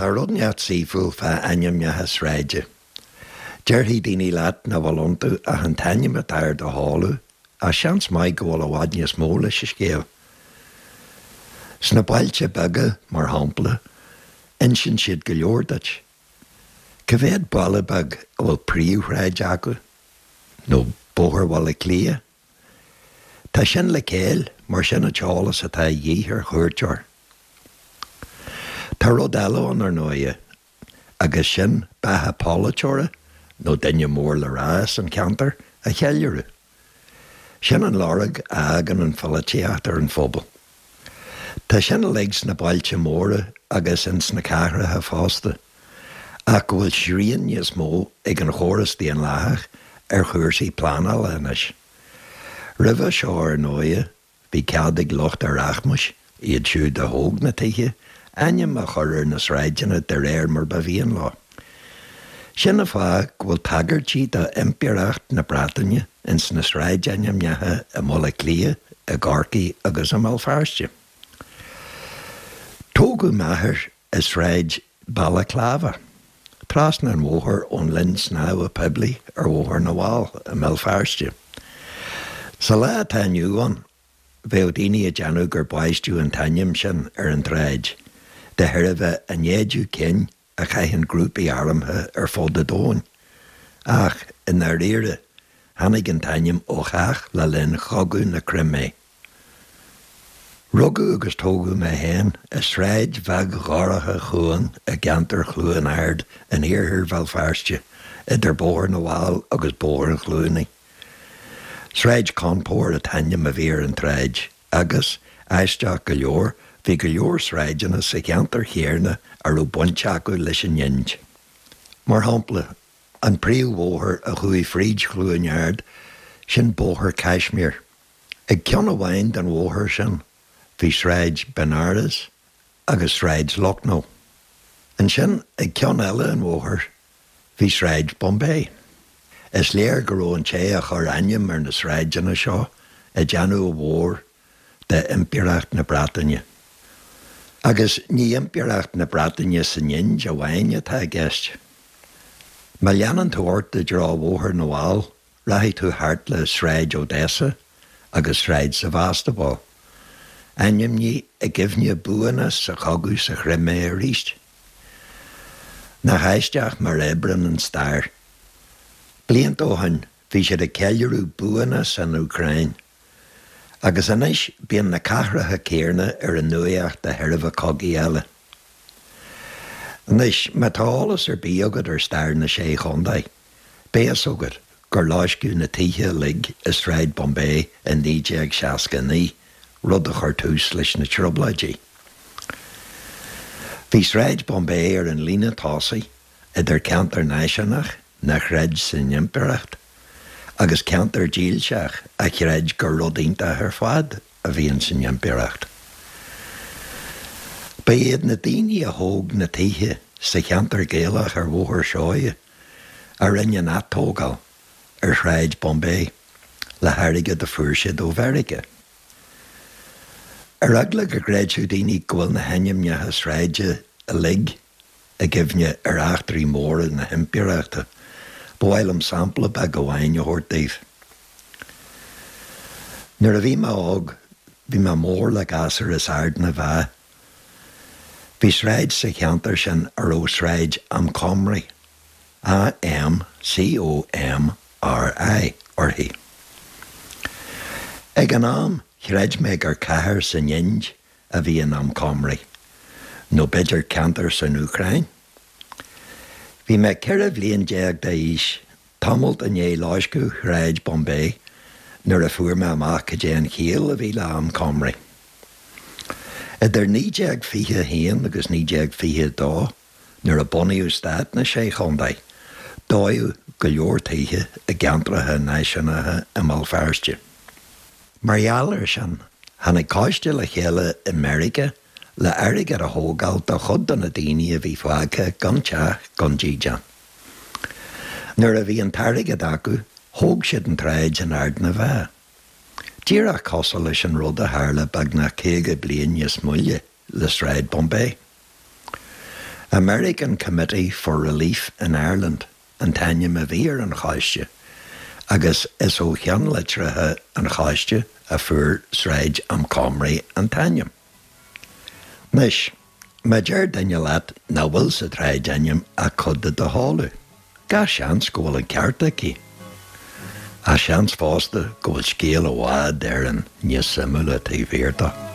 Tá rud inteacht saoithiúil fá ainmneacha sráide. Déarfaidh daoine leat nach bhfuil iontu ach an t-ainm atá ar do sheoladh, ach seans maith go bhfuil i bhfad níos mó leis an scéal. Sna bailte beaga, mar shampla, insíonn siad go leor duit. Cá mhéad baile beag a bhfuil príomhshráid acu? Nó Bóthar Bhaile Átha Cliath? Tá sin le céill, mar sin an t-eolas atá a dhíth ar chuairteoir. Tá rud eile ann, ar ndóighe, agus sin beatha polaiteora nó duine mór le rá as an cheantar a cheiliúradh. Sin an lorg a fhágann an pholaitíocht ar an phobal. Tá sin uilig sna bailte móra agus ins na cathracha fosta, ach go bhfuil srian níos mó ag an chóras daonlathach ar chúrsaí pleanála anois. Roimhe seo ar ndóighe bhí cead ag lucht an rachmais, iad siúd a thóg na tithe, ainm a chur ar na sráideanna de réir mar ba mhian leo. Sin an fáth go bhfuil tagairtí do Impireacht na Breataine ins na sráidainmneacha i mBaile Átha Cliath, i gCorcaigh agus i mBéal Feirste. Tógadh m'athair i Sráid Balaclava, trasna an bhóthair ón linn snámha poiblí ar Bhóthar na bhFál i mBéal Feirste. Sa lá atá inniu ann, bheadh daoine ag déanamh gur baisteadh an t-ainm sin ar an tsráid de thairbhe an éide cinn a chaitheann grúpaí armtha ar fud an domhain. Ach, i ndáiríre, tháinig an t-ainm ó chath le linn Chogadh na Crimé. Rugadh agus tógadh mé féin i sráid bheag dhorcha chúang i gceantar Chluain Ard in iarthar Bhéal Feirste, idir Bóthar na bhFál agus Bóthar Chluanaí. Sráid Cawnpore an t-ainm a bhí ar an tsráid agus, aisteach go leor, bhí go leor sráideanna sa cheantar chéarna a raibh baint acu leis an Ind. Mar shampla, an príomhbhóthar a chuaigh fríd Chluain Ard, sin Bóthar Kashmir. Ag ceann amháin den bhóthar sin bhí Sráid Benares agus Sráid Lucknow. Ansin ag ceann eile an bhóthair bhí Sráid Bombay. Is léir go raibh an té a chuir ainm ar na sráideanna seo ag déanamh a mhór de Impireacht na Breataine. Agus ní Impireacht na Breataine san Ind amháin atá i gceist. Má leanann tú ort i dtreo Bhóthar na bhFál, Rachaidh tú thart le Sráid Odessa agus Sráid Sevastopol, ainmnithe i gcuimhne buanna sa chogadh sa Chrimé arís. Nach aisteach mar a oibreann an stair. Blianta ó shin bhí siad ag ceiliúradh buanna san Úcráin. Agus anois bíonn na cathracha céarna ar an nuaíocht de thairbhe cogaí eile. Anois, má tá eolas ar bith agat ar stair na Sé Chontae, Beidh fhios agat gur loisceadh na tithe uilig i Sráid Bombay i 1969, rud a chuir tús leis na Trioblóidí. Bhí Sráid Bombay ar an líne tosaigh idir ceantar náisiúnach nár chreid san impireacht agus ceantar dílseach a chreid gur rud iontach ar fad a bhí ins an impireacht. Ba iad na daoine a thóg na tithe sa cheantar Gaelach ar Bhóthar Seoighe a rinne an atógáil ar Shráid Bombay le hairgead a fuair siad ó Mheiriceá. Ar eagla go gcreidfeadh daoine go bhfuil na hainmneacha sráide uilig i gcuimhne ar eachtraí móra na himpireachta, ba mhaith liom sampla beag amháin a thabhairt daoibh. Nuair a bhí mé óg, bhí mé mór le gasúir as Ard na bhFeá. Bhí sráid sa cheantar sin a raibh Sráid Amcomri, A-M-C-O-M-R-I, uirthi. Ag an am, chreid mé gur cathair san Ind a bhí in Amcomri, nó b'fhéidir ceantar san Úcráin? Bhí mé 14 bhliain d'aois, tamalt i ndiaidh loisceadh Shráid Bombay, nuair a fuair mé amach cad é an chiall a bhí le Amcomri. Idir 1921 agus 1922, nuair a bunaíodh stát na Sé Chontae, dódh go leor tithe i gceantracha náisiúnacha i mBéal Feirste. Mar gheall air sin, tháinig coiste le chéile i Meiriceá le airgead a thógáil do chuid de na daoine a bhí fágtha gan teach gan dídean. Nuair a bhí an t-airgead acu, thóg siad an tsráid in Ard na bhFeá. Díreach cosúil leis an rud a tharla beagnach 50 bliain níos moille le Sráid Bombay. American Committee for Relief in Ireland an t-ainm a bhí ar an choiste agus is ó cheannlitreacha an choiste a fuair Sráid Amchomry an t-ainm. Anois, má deir duine leat nach bhfuil sa tsráidainm ach cuid de do chodladh, gach seans go bhfuil an ceart aici. Ach seans fosta go bhfuil scéal i bhfad Éireann níos suimiúla taobh thiar de.